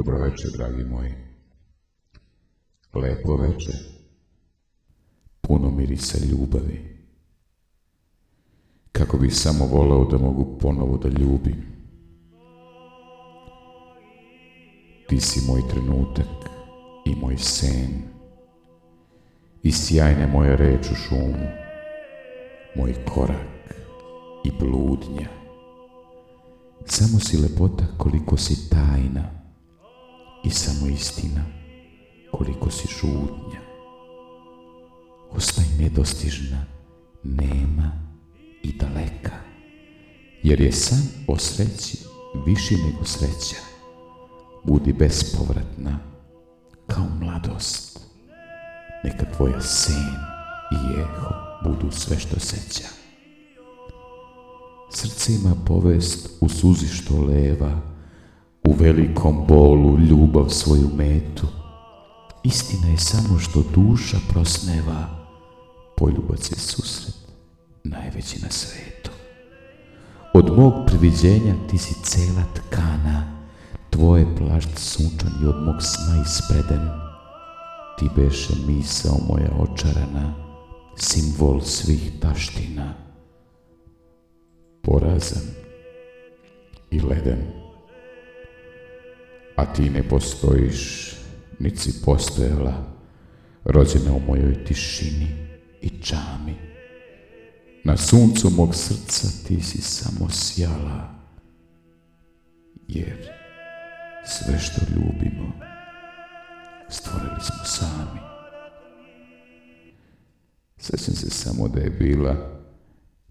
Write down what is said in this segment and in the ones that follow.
Dobro večer, dragi moji. Lepo večer. Puno mirisa ljubavi. Kako bih samo voleo da mogu ponovo da ljubim. Ti si moj trenutak i moj sen. I sjajne moje reč u šumu. Moj korak i bludnja. Samo si lepota koliko si tajna. I samo istina koliko si žudnja. Ostaj nedostižna, nema i daleka, jer je san o sreći viši nego sreća. Budi bespovratna kao mladost. Neka tvoja sen i eho budu sve što seća. Srce ima povest u suzi što leva, u velikom bolu ljubav svoju metu. Istina je samo što duša prosneva, poljubac je susret najveći na svetu. Od mog priviđenja ti si cela tkana, tvoje plašt sunčan i od mog sna ispreden. Ti beše misao moja očarana, simbol svih taština. Porazan i leden, a ti ne postojiš, niti si postojala, rođena u mojoj tišini i čami. Na suncu mog srca ti si samo sjala, jer sve što ljubimo stvorili smo sami. Sjećam se samo da je bila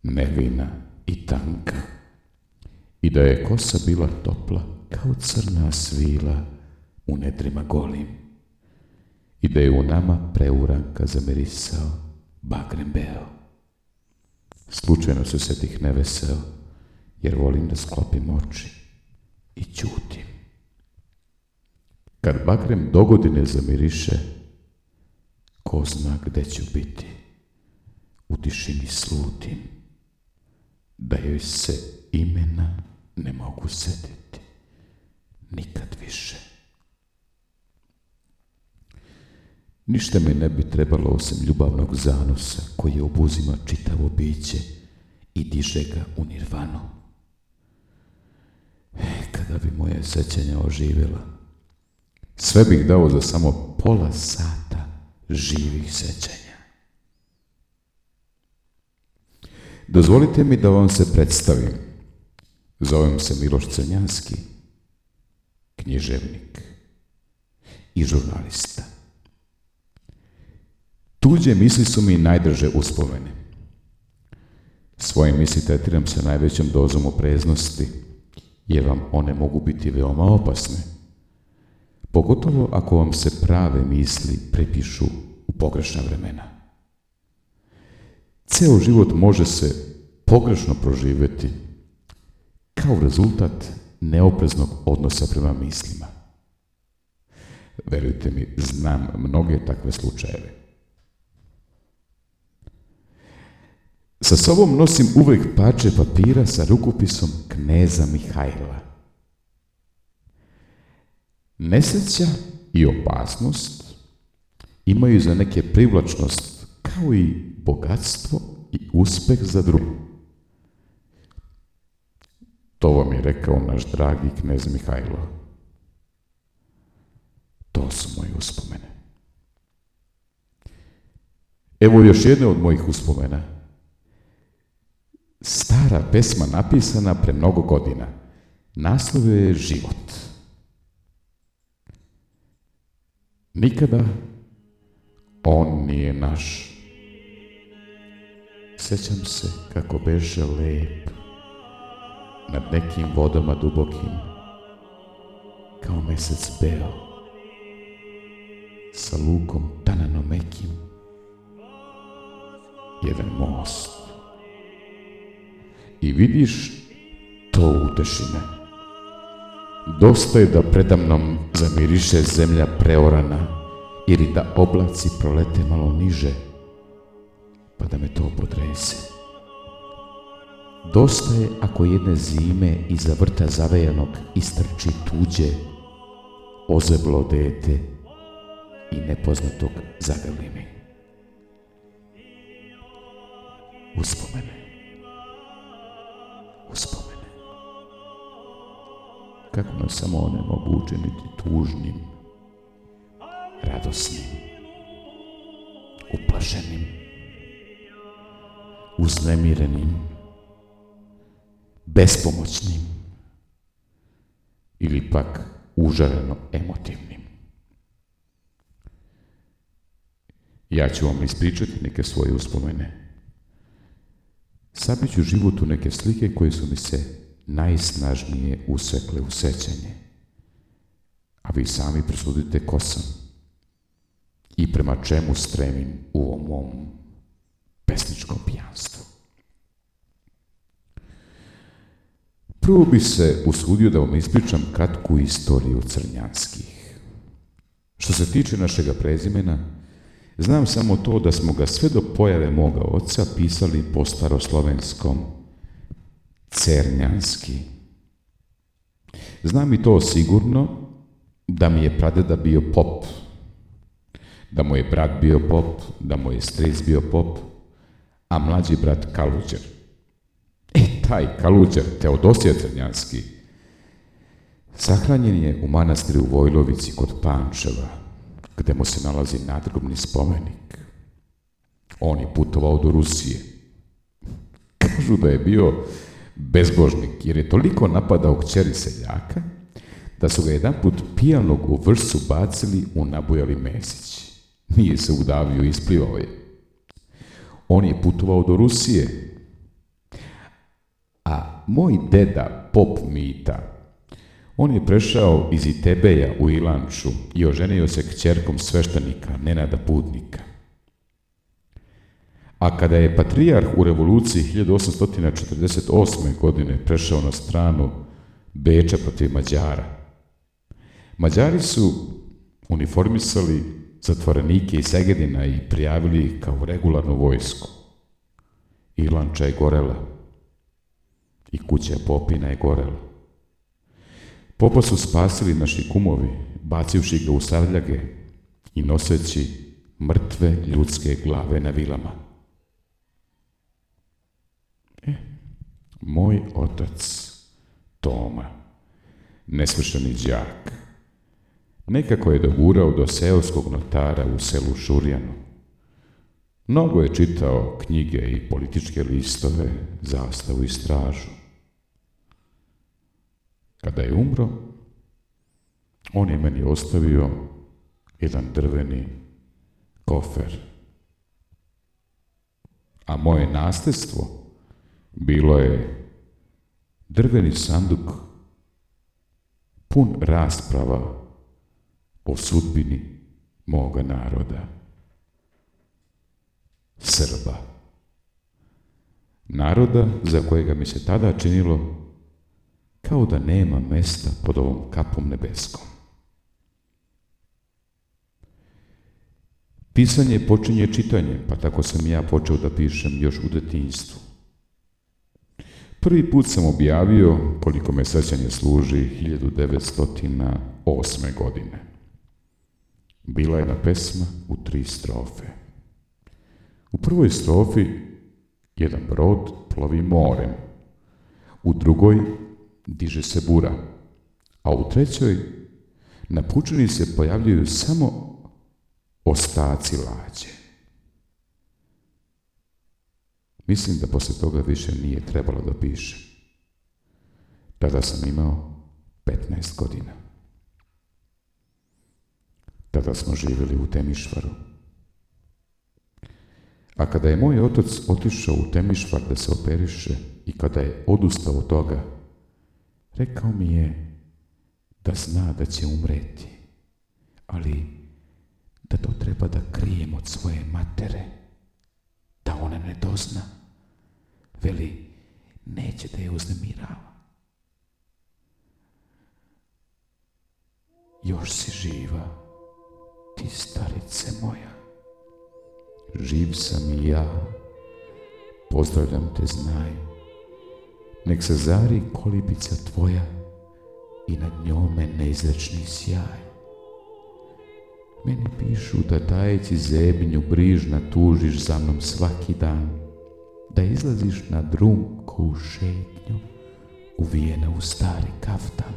nevina i tanka i da je kosa bila topla kao crna svila u nedrima golim i da je u nama preuranka zamirisao bagrem beo. Slučajno se setih neveseo, jer volim da sklopim oči i ćutim. Kad bagrem dogodine zamiriše, ko zna gde ću biti, u tišini slutim, da joj se imena ne mogu setiti nikad više. Ništa mi ne bi trebalo osim ljubavnog zanosa koji obuzima čitavo biće i diže ga u nirvanu. Kada bi moje sećanja oživjela, sve bih dao za samo pola sata živih sećanja. Dozvolite mi da vam se predstavim. Zovem se Miloš Crnjanski, književnik i žurnalista. Tuđe misli su mi najdraže uspomene. Svoje misli tretiram sa najvećom dozom opreznosti, jer vam one mogu biti veoma opasne. Pogotovo ako vam se prave misli prepišu u pogrešna vremena. Ceo život može se pogrešno proživjeti kao rezultat neopreznog odnosa prema mislima. Verujte mi, znam mnoge takve slučajeve. Sa sobom nosim uvijek parče papira sa rukopisom kneza Mihajla. Nesreća i opasnost imaju za neke privlačnost kao i bogatstvo i uspeh za drugu. To vam je rekao naš dragi knez Mihajlo. To su moje uspomene. Evo još jedne od mojih uspomena. Stara pesma napisana pre mnogo godina. Naslov je Život. Nikada on nije naš. Sjećam se kako beže lep nad nekim vodama dubokim, kao mesec beo, sa lukom tanano mekim, jedan most. I vidiš to utešine. Dosta je da predamnom zamiriše zemlja preorana ili da oblaci prolete malo niže, pa da me to podrese. Dosta je ako jedne zime iza vrta zavejanog istrči tuđe, ozeblo dete i nepoznatog zaveli mi. Uspomene. Kako nas samo one mogu učiniti tužnim, radosnim, uplašenim, uznemirenim, bespomoćnim ili pak užareno emotivnim. Ja ću vam ispričati neke svoje uspomene. Sabit ću život u neke slike koje su mi se najsnažnije usekle u sećanje, a vi sami presudite ko sam i prema čemu stremim u ovom mom pesničkom pijanstvu. Prvo bi se usudio da vam ispričam kratku istoriju Crnjanskih. Što se tiče našega prezimena, znam samo to da smo ga sve do pojave moga oca pisali po staroslovenskom Cernjanski. Znam i to sigurno da mi je pradeda bio pop, da mu je brat bio pop, da mu je stric bio pop, a mlađi brat Kaluđer. Taj Kaluđer, Teodosije Crnjanski, sahranjen je u manastiru u Vojlovici kod Pančeva, gde mu se nalazi nadgrobni spomenik. On je putovao do Rusije. Kažu da je bio bezbožnik, jer je toliko napadao kćeri seljaka, da su ga jedanput pijanog u Vršcu bacili u nabujali Mesić. Nije se udavio, isplivao je. On je putovao do Rusije, a moj deda, pop Mita, on je prešao iz Itebeja u Ilanču i oženio se kćerkom sveštenika Nenada Putnika. A kada je patrijarh u revoluciji 1848. godine prešao na stranu Beča protiv Mađara, Mađari su uniformisali zatvorenike iz Segedina i prijavili ih kao regularnu vojsku. Ilanča je gorela i kuća popina je gorela. Popa su spasili naši kumovi, bacivši ga u savljage i noseći mrtve ljudske glave na vilama. Moj otac, Toma, nesvršeni đak, nekako je dogurao do seoskog notara u selu Šurjanu. Mnogo je čitao knjige i političke listove, Zastavu i Stražu. Kada je umro, on je meni ostavio jedan drveni kofer. A moje nasljedstvo bilo je drveni sanduk pun rasprava o sudbini moga naroda, Srba. Naroda za kojega mi se tada činilo kao da nema mesta pod ovom kapom nebeskom. Pisanje počinje čitanjem, pa tako sam ja počeo da pišem još u detinjstvu. Prvi put sam objavio, koliko me sećanje služi, 1908. godine. Bila je jedna pesma u 3 strofe. U prvoj strofi jedan brod plovi morem, u drugoj diže se bura, a u trećoj na pučini se pojavljuju samo ostaci lađe. Mislim da posle toga više nije trebalo da pišem. Tada sam imao 15 godina. Tada smo živjeli u Temišvaru. A kada je moj otac otišao u Temišvar da se operiše i kada je odustao od toga, rekao mi je da zna da će umreti, ali da to treba da krijem od svoje matere, da ona ne dozna. Veli, neće da je uznemirava. Još si živa, ti starice moja. Živ sam i ja, pozdravljam te, znaj. Nek se zari kolibica tvoja i nad njome neizrečni sjaj. Meni pišu da tajeći zebnju brižna tužiš za mnom svaki dan, da izlaziš na drumku šetnju, uvijena u stari kaftan,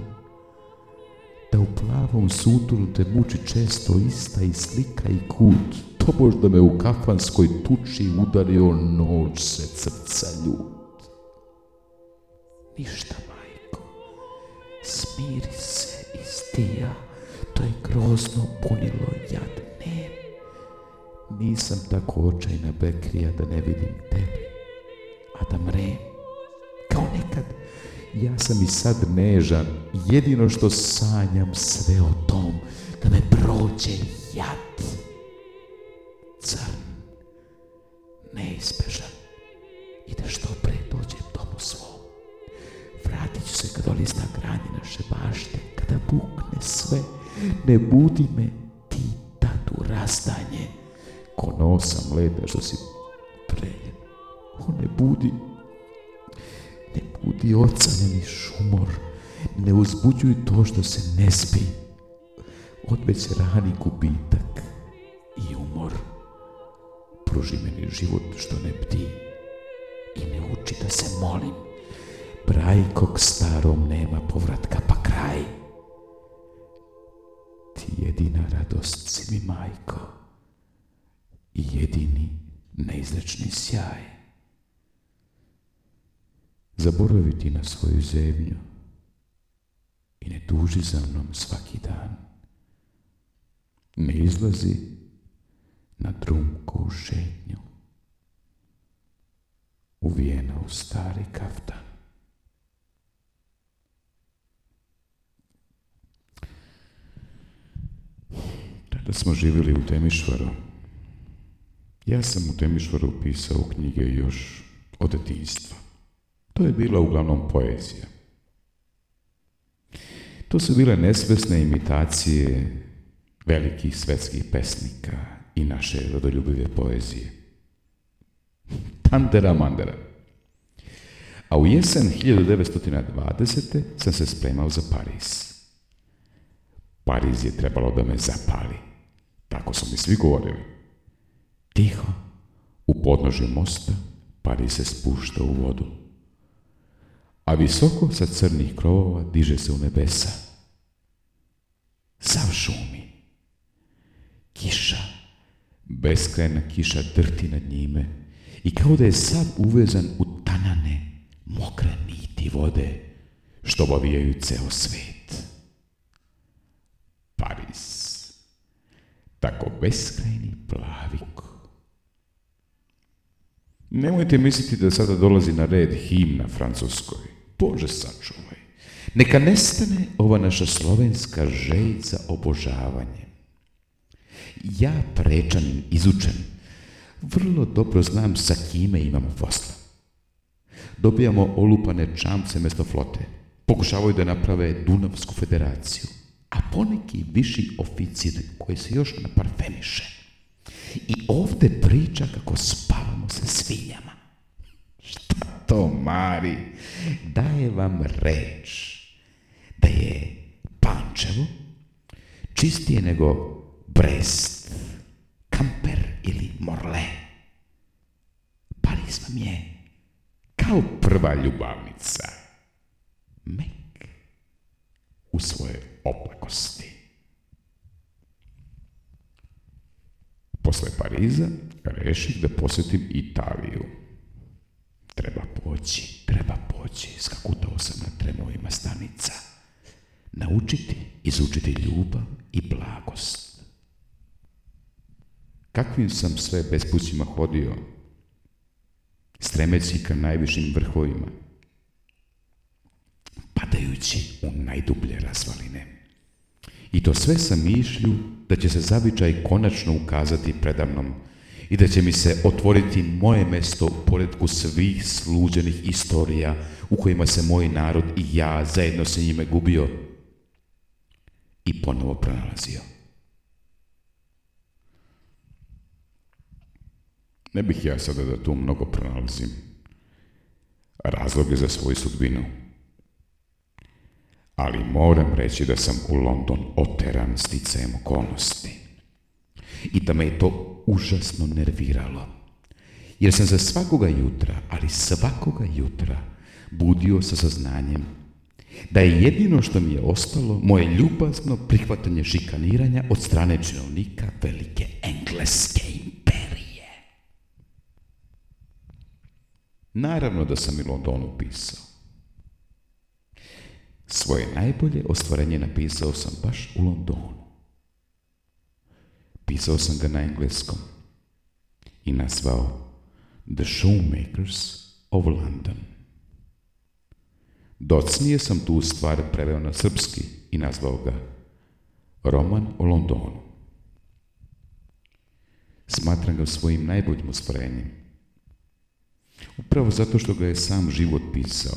da u plavom sutunu te muči često ista i slika i kut, tobož da me u kafanskoj tuči udario noć se srca ljut. Ništa, majko, smiri se i stija, to je grozno bunilo jad nem. Nisam tako očajna bekrija da ne vidim tebi, a da mrem. Kao nekad, ja sam i sad nežan, jedino što sanjam sve o tom, da me prođe jad. Crn, neizbežan, i da što pre dođem domu svom. Vratit ću se kad olista granje naše bašte, kada bukne sve, ne budi me ti tad u razdanje, ko nosam leda što si preljen. O, ne budi ocaljeni šumor, ne uzbuđuj to što se ne spi, odveć rani gubitak i umor. Pruži meni život što ne bdi i ne uči da se molim, brajkog starom nema povratka pa kraj. Ti jedina radost si mi, majko, i jedini neizrečni sjaj. Zaboravi ti na svoju zemlju i ne tuži za mnom svaki dan. Ne izlazi na drumku šetnju, uvijena u stari kaftan. Tada smo živjeli u Temišvaru. Ja sam u Temišvaru pisao knjige još od detinjstva. To je bila uglavnom poezija. To su bile nesvesne imitacije velikih svetskih pesnika i naše rodoljubive poezije. Tantera mandera. A u jesen 1920. sam se spremao za Pariz. Pariz je trebalo da me zapali. Tako su mi svi govorili. Tiho, u podnožju mosta, Pariz se spušta u vodu. A visoko sa crnih krovova diže se u nebesa. Sav šumi. Kiša, beskrajna kiša drti nad njime i kao da je sav uvezan u tanane, mokre niti vode, što obavijaju ceo svet. Pariz. Tako beskrajni plavik. Nemojte misliti da sada dolazi na red himna Francuskoj. Bože sačuvaj. Neka nestane ova naša slovenska želj za obožavanjem. Ja, prečanin, izučen, vrlo dobro znam sa kime imamo posla. Dobijamo olupane čamce mesto flote. Pokušavaju da naprave Dunavsku federaciju. A poneki viši oficir koji se još naparfemiše. I ovde priča kako spavamo sa svinjama. Šta to, Mari? Daje vam reč da je Pančevo čistije nego Brest, Kamper ili Morle. Pariz vam je kao prva ljubavnica. Mek u svoje oplakosti. Posle Pariza reših da posjetim Italiju. Treba poći, skakutao sam na tremovima stanica. Naučiti, izučiti ljubav i blagost. Kakvim sam sve bespućima hodio, stremeći ka najvišim vrhovima, padajući u najdublje razvaline. I to sve sa mišlju da će se zavičaj konačno ukazati predamnom i da će mi se otvoriti moje mesto u poretku svih sluđenih istorija u kojima se moj narod i ja zajedno sa njime gubio i ponovo pronalazio. Ne bih ja sada da tu mnogo pronalazim razloge za svoju sudbinu, ali moram reći da sam u London oteran sticajem okolnosti. i da me je to užasno nerviralo. Jer sam za svakoga jutra, ali svakoga jutra, budio sa saznanjem da je jedino što mi je ostalo moje ljubazno prihvatanje šikaniranja od strane činovnika velike engleske imperije. Naravno da sam i Londonu pisao. Svoje najbolje ostvarenje napisao sam baš u Londonu. Pisao sam ga na engleskom i nazvao The Showmakers of London. Docnije sam tu stvar preveo na srpski i nazvao ga Roman o Londonu. Smatram ga svojim najboljim ostvarenjem. Upravo zato što ga je sam život pisao,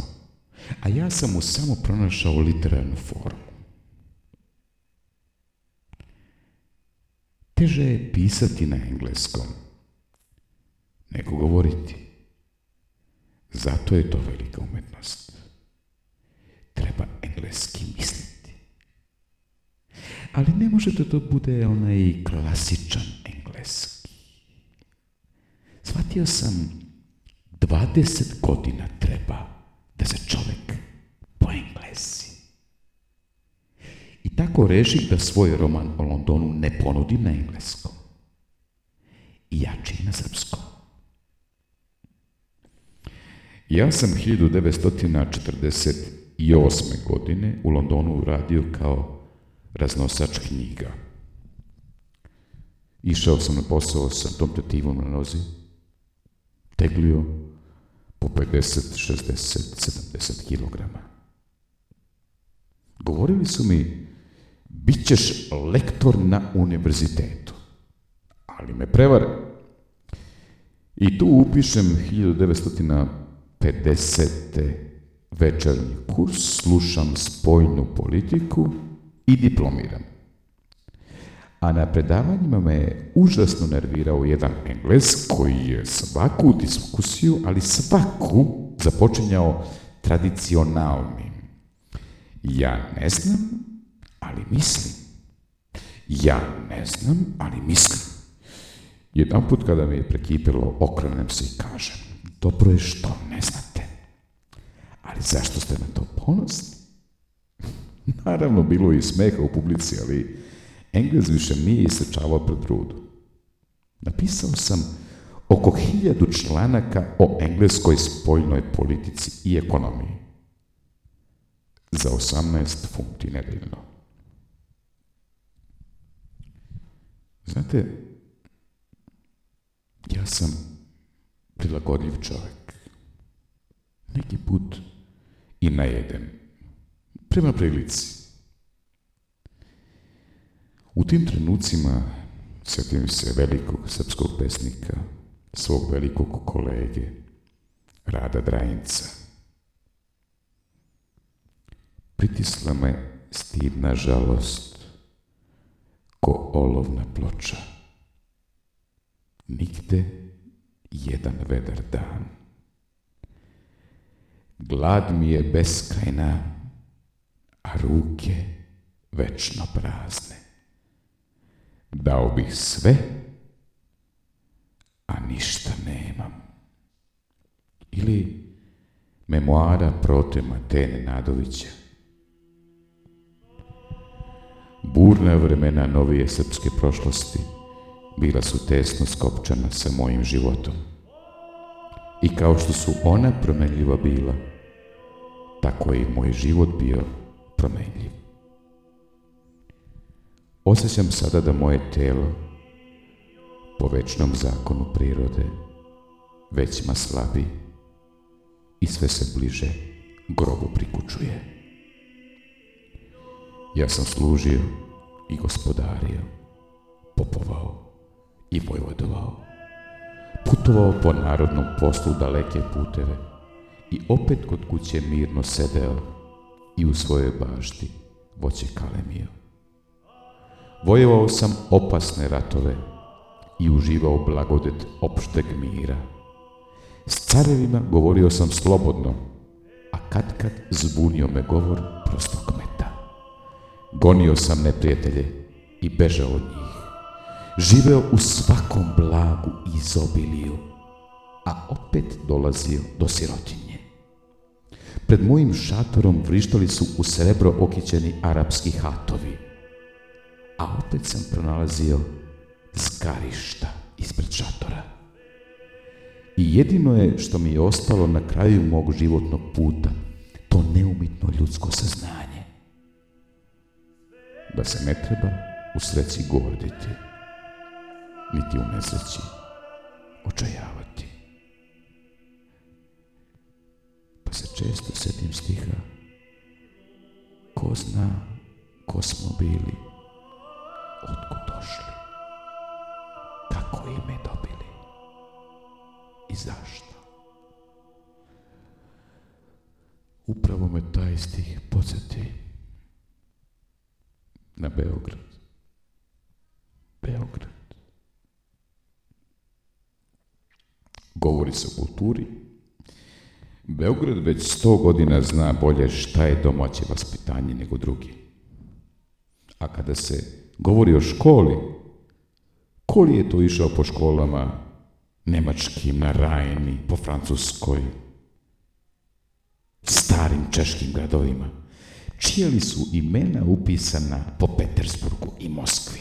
a ja sam mu samo pronašao literarnu formu. Teže je pisati na engleskom nego govoriti. Zato je to velika umetnost. Treba engleski misliti. Ali ne može da to bude onaj klasičan engleski. Shvatio sam 20 godina treba da se čovjek poenglesi. I tako reših da svoj roman o Londonu ne ponudim na engleskom. I jači na srpskom. Ja sam 1948. godine u Londonu radio kao raznosač knjiga. Išao sam na posao sa tom tetivom na nozi, teglio po 50, 60, 70 kilograma. Govorili su mi, bit ćeš lektor na univerzitetu, ali me prevare. I tu upišem 1950. večernji kurs, slušam spoljnu politiku i diplomiram. A na predavanjima me je užasno nervirao jedan Engles koji je svaku diskusiju, ali svaku, započinjao tradicionalnim. Ja ne znam, ali mislim. Ja ne znam, ali mislim. Jedanput kada mi je prekipelo, okrenem se i kažem, dobro je što ne znate, ali zašto ste na to ponosni? Naravno, bilo je i smeha u publici, ali Engles više nije isečavao pred rudu. Napisao sam oko 1000 članaka o engleskoj spoljnoj politici i ekonomiji. Za 18 funti nedeljno. Znate, ja sam prilagodljiv čovjek. Neki put i najedem. Prema prilici. U tim trenucima sjetim se velikog srpskog pesnika, svog velikog kolege, Rada Drajinca. Pritisla me stidna žalost, ko olovna ploča. Nigde jedan vedar dan. Glad mi je beskrajna, a ruke večno prazne. Dao bih sve, a ništa nemam. Ili memoara prote Matene Nadovića. Burna vremena novije srpske prošlosti bila su tesno skopčana sa mojim životom. I kao što su ona promenljiva bila, tako je i moj život bio promenljiv. Osjećam sada da moje telo, po večnom zakonu prirode, već ma slabi i sve se bliže grobu prikućuje. Ja sam služio i gospodario, popovao i vojvodovao, putovao po narodnom poslu daleke puteve i opet kod kuće mirno sedeo i u svojoj bašti voće kalemio. Vojevao sam opasne ratove i uživao blagodet opšteg mira. S carevima govorio sam slobodno, a kad zbunio me govor prostog kmeta. Gonio sam neprijatelje i bežao od njih. živeo u svakom blagu i izobiliju, a opet dolazio do sirotinje. Pred mojim šatorom vrištali su u srebro okićeni arapski hatovi, a opet sam pronalazio zgarišta ispred šatora. I jedino je što mi je ostalo na kraju mog životnog puta, to neumitno ljudsko saznanje. Da se ne treba u sreći gorditi, niti u nesreći očajavati. Pa se često sjetim stiha: ko zna ko smo bili, otkud došli, kako ime dobili i zašto. Upravo me taj stih podsjeti na Beograd. Beograd. Govori se o kulturi. Beograd već 100 godina zna bolje šta je domaće vaspitanje nego drugi. A kada se govori o školi, ko li je to išao po školama nemačkim, na Rajni, po Francuskoj, starim češkim gradovima, čija li su imena upisana po Petersburgu i Moskvi?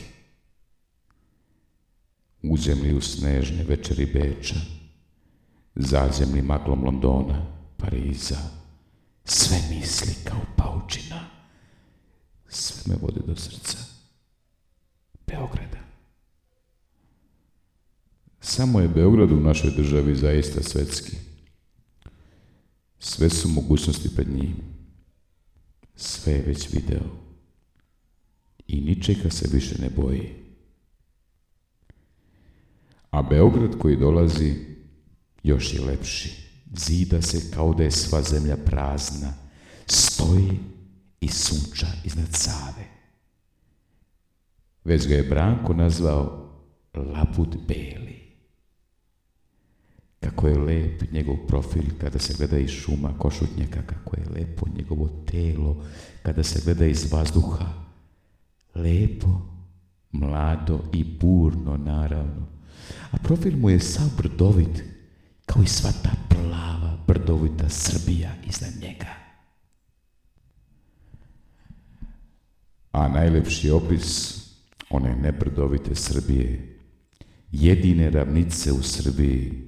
Uđem li u snežne večeri Beča, zađem li maglom Londona, Pariza, sve misli kao paučina, sve me vode do srca Beograda. Samo je Beograd u našoj državi zaista svetski. Sve su mogućnosti pred njim. Sve je već video i ničega se više ne boji. A Beograd koji dolazi još je lepši. Zida se kao da je sva zemlja prazna. Stoji i sunča iznad Save. Već ga je Branko nazvao Labud Beli. Kako je lep njegov profil kada se gleda iz šuma košutnjaka, kako je lepo njegovo telo kada se gleda iz vazduha. Lepo, mlado i burno naravno. A profil mu je sav brdovit, kao i sva ta plava, brdovita Srbija iznad njega. A najlepši opis one nebrdovite Srbije, jedine ravnice u Srbiji,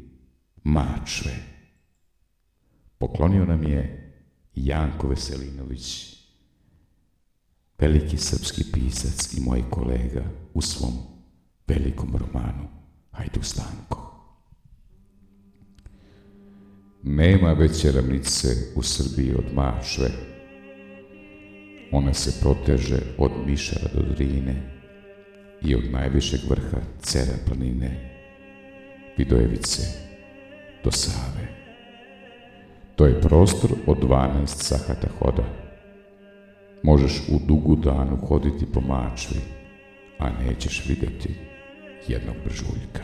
Mačve, poklonio nam je Janko Veselinović, veliki srpski pisac i moj kolega u svom velikom romanu Hajduk Stanko. Nema veće ravnice u Srbiji od Mačve. Ona se proteže od Mišara do Drine i od najvišeg vrha Cera planine, Vidojevice, do Save. To je prostor od 12 sahata hoda. Možeš u dugu danu hoditi po Mačvi, a nećeš vidjeti jednog bržuljka.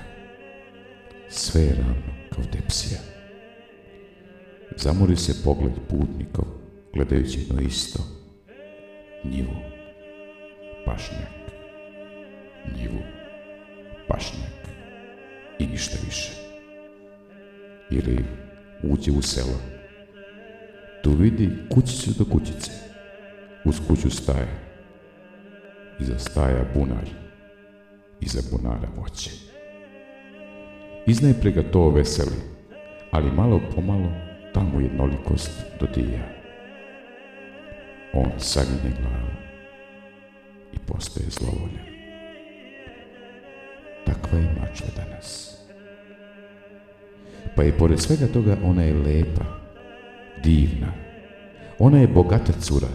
Sve je ravno kao tepsija. Zamori se pogled putnikov, gledajući jedno isto. Njivu, pašnjak, njivu, pašnjak i ništa više. Ili uđe u selo. Tu vidi kućicu do kućice. Uz kuću staje. Iza staja bunar. Iza bunara voće. Iznajprije ga to veseli, ali malo pomalo tamo jednolikost dodija. On saginje glavu i postaje zlovoljan. Takva je Mačva danas. Pa i pored svega toga ona je lepa, divna. Ona je bogata cura.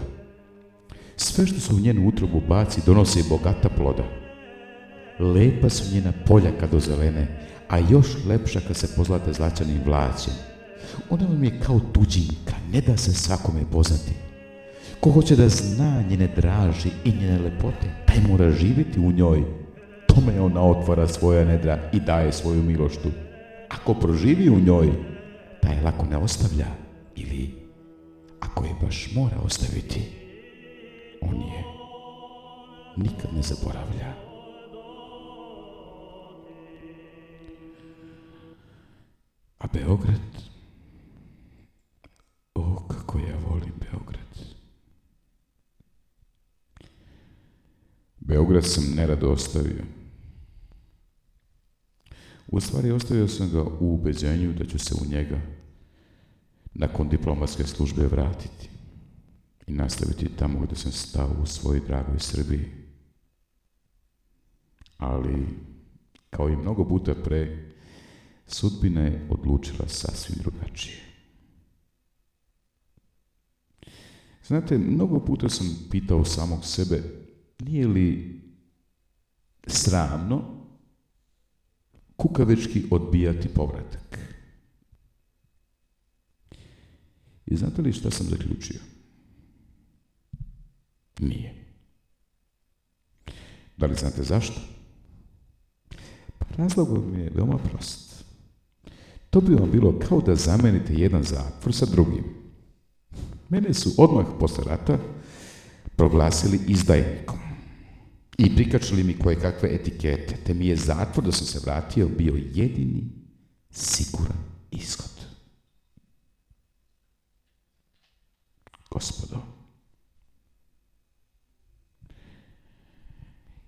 Sve što se u njenu utrobu baci donosi bogata ploda. Lepa su njena polja kad ozelene, a još lepša kad se pozlate zlačanim vlaćem. Ona vam je kao tuđinka, ne da se svakome poznati. Ko hoće da zna njene draži i njene lepote, taj mora živjeti u njoj. Tome ona otvara svoja nedra i daje svoju miloštu. Ako proživi u njoj, taj lako ne ostavlja, ili ako je baš mora ostaviti, on je nikad ne zaboravlja. Beograd? O, kako ja volim Beograd. Beograd sam nerado ostavio. U stvari ostavio sam ga u ubeđenju da ću se u njega nakon diplomatske službe vratiti i nastaviti tamo gdje sam stao u svojoj dragoj Srbiji. Ali, kao i mnogo puta pre, sudbina je odlučila sasvim drugačije. Znate, mnogo puta sam pitao samog sebe, nije li sramno kukavički odbijati povratak? I znate li šta sam zaključio? Nije. Da li znate zašto? Pa razlog mi je veoma prost. To bi vam bilo kao da zamenite jedan zatvor sa drugim. Mene su odmah posle rata proglasili izdajnikom i prikačili mi koje kakve etikete, te mi je zatvor da sam se vratio bio jedini siguran ishod. Gospodo,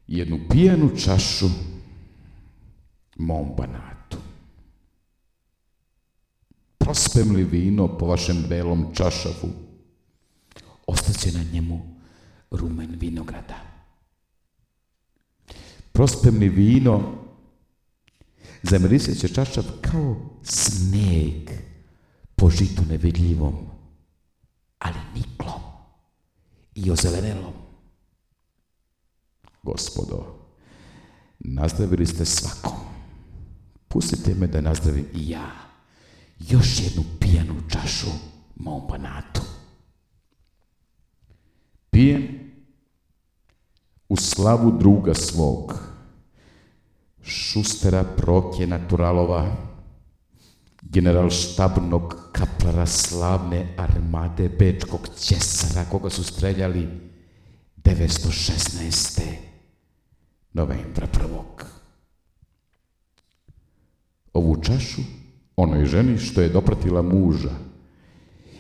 jednu pijanu čašu mom Banatu. Prospem li vino po vašem belom čašavu, ostaće na njemu rumen vinograda. Prospem li vino, zamiriseće čašav kao snijeg po žitu nevidljivom, ali niklom i ozelenelom. Gospodo, nazdravili ste svakom. Pustite me da nazdravim i ja još jednu pijanu čašu mom Banatu. Pijem u slavu druga svog, Šustera Prokje Naturalova, generalštabnog kaplara slavne armade bečkog Ćesara, koga su streljali 916. novembra 1. Ovu čašu onoj ženi što je dopratila muža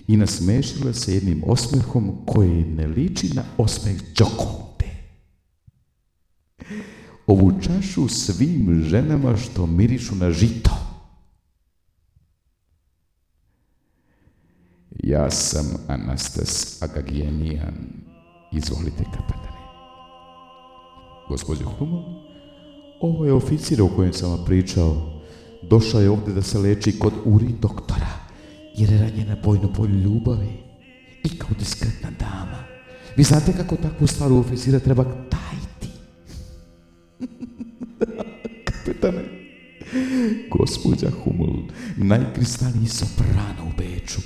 i nasmešila se jednim osmehom koji ne liči na osmeh Đokonte. Ovu čašu svim ženama što mirišu na žito. Ja sam Anastas Agagijenijan. Izvolite, kapetane. Gospođo Humul, ovo je oficir o kojem sam vam pričao. Došao je ovdje da se leči kod Uri doktora, jer je ranjen na bojnom polju ljubavi i kao diskretna dama. Vi znate kako takvu staru oficira treba tajiti. Kapetane, gospođa Humul, najkristalniji soprano u Beču,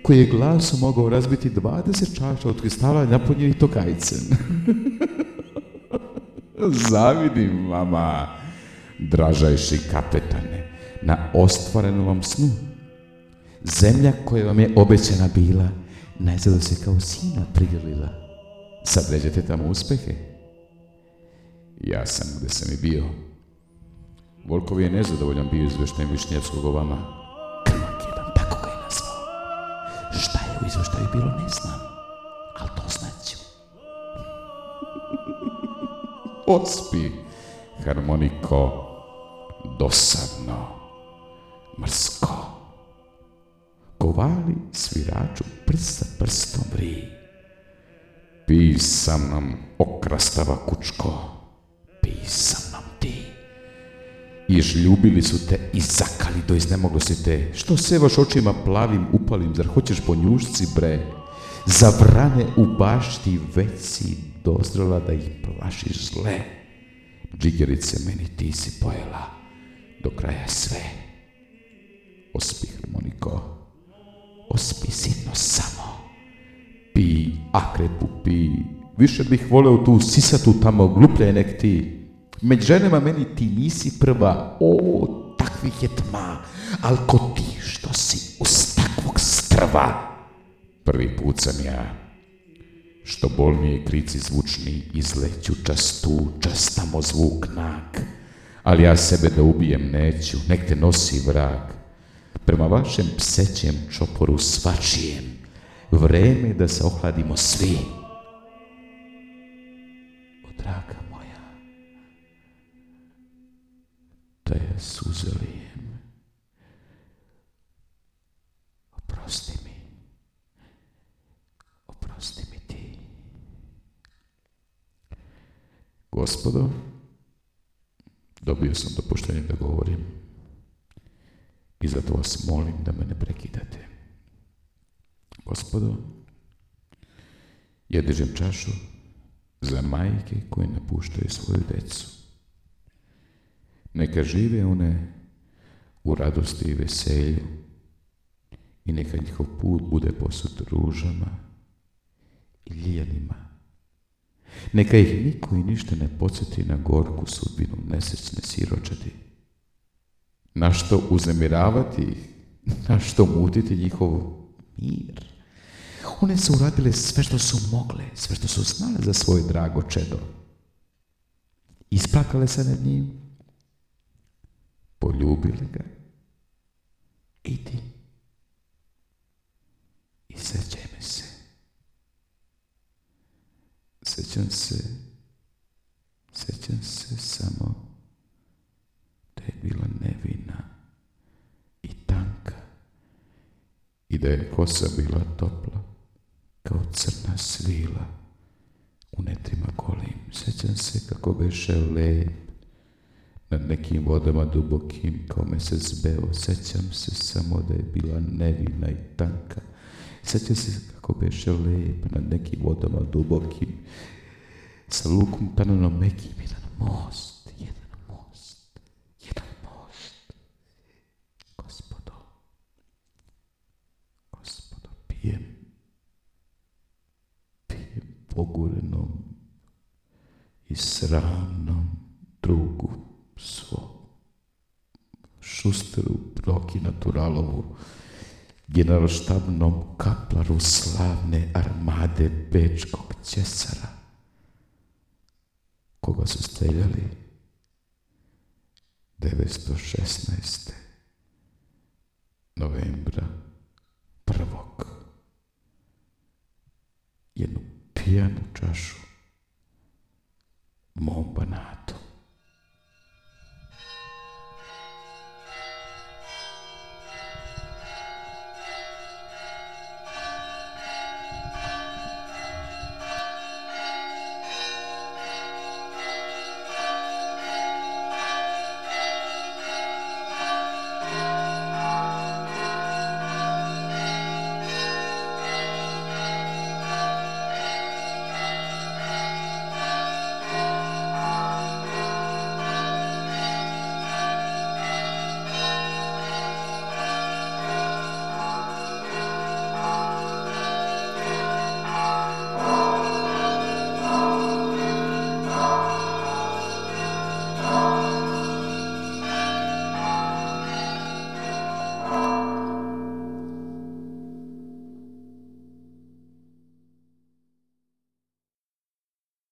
koji je glasom mogao razbiti 20 čaša od kristala napunjenih tokajcem. Zavidim vama, dražajši kapetane, na ostvarenom vam snu. Zemlja koja vam je obećana bila, najzad se kao sina prigrlila. Sad ređete tamo uspehe. Ja sam gde sam i bio. Volkov je nezadovoljan bio izveštajem Višnjevskog o vama. Krmak jedan, tako ga je nazvao. Šta je u izveštaju bilo, ne znam, ali to znaću. Ospi, harmoniko, dosadno, mrsko. Kovali sviraču prst sa prstom vri. Pij sa mnom, okrastava kučko, pij sa mnom ti. I žljubili su te i zakali do iznemoglosti te. Što sevaš očima plavim upalim, zar hoćeš po njušci bre? Za vrane u bašti već si dozrela da ih plašiš zle. Džigerice meni ti si pojela do kraja sve. Ospi, harmoniko, ospi sitno samo. Pi, akrepu pi, više bih voleo tu sisatu tamo gluplje nek ti. Među ženama meni ti nisi prva, o, takvih je tma, al ko ti što si uz takvog strva. Prvi put sam ja, što bolnije krici zvučni, izleću čas tu, čas tamo zvuk nag, ali ja sebe da ubijem neću, nek te nosi vrag. prema vašem psećem čoporu svačijem, vreme da se ohladimo svi. O, draga moja, da je suze lijem, oprosti mi ti. Gospodo, dobio sam dopuštenje da govorim i zato vas molim da me ne prekidate. Gospodo, ja dižem čašu za majke koje napuštaju svoju decu. Neka žive one u radosti i veselju i neka njihov put bude posut ružama i ljeljanima. Neka ih niko i ništa ne podsjeti na gorku sudbinu nesrećne siročadi. Na što uznemiravati ih, na što mutiti njihov mir. One su uradile sve što su mogle, sve što su znale za svoje drago čedo. Isplakale se nad njim, poljubile ga i ti. I sećaj me se. Sećam se samo da je bila nevina i tanka i da je kosa bila topla kao crna svila u netrima golim. Sećam se kako beše lep nad nekim vodama dubokim kao mesec beo. Sećam se samo da je bila nevina i tanka. Sećam se kako beše lep nad nekim vodama dubokim sa lukom tananom mekim. Jedan most. Gospodo, pijem pogurenom i sramnom drugu svom, Šusteru, Proki Naturalovu, generalštabnom kaplaru slavne armade bečkog Cesara, koga su streljali 916. novembra 1. jednu pijanu čašu mom banatu.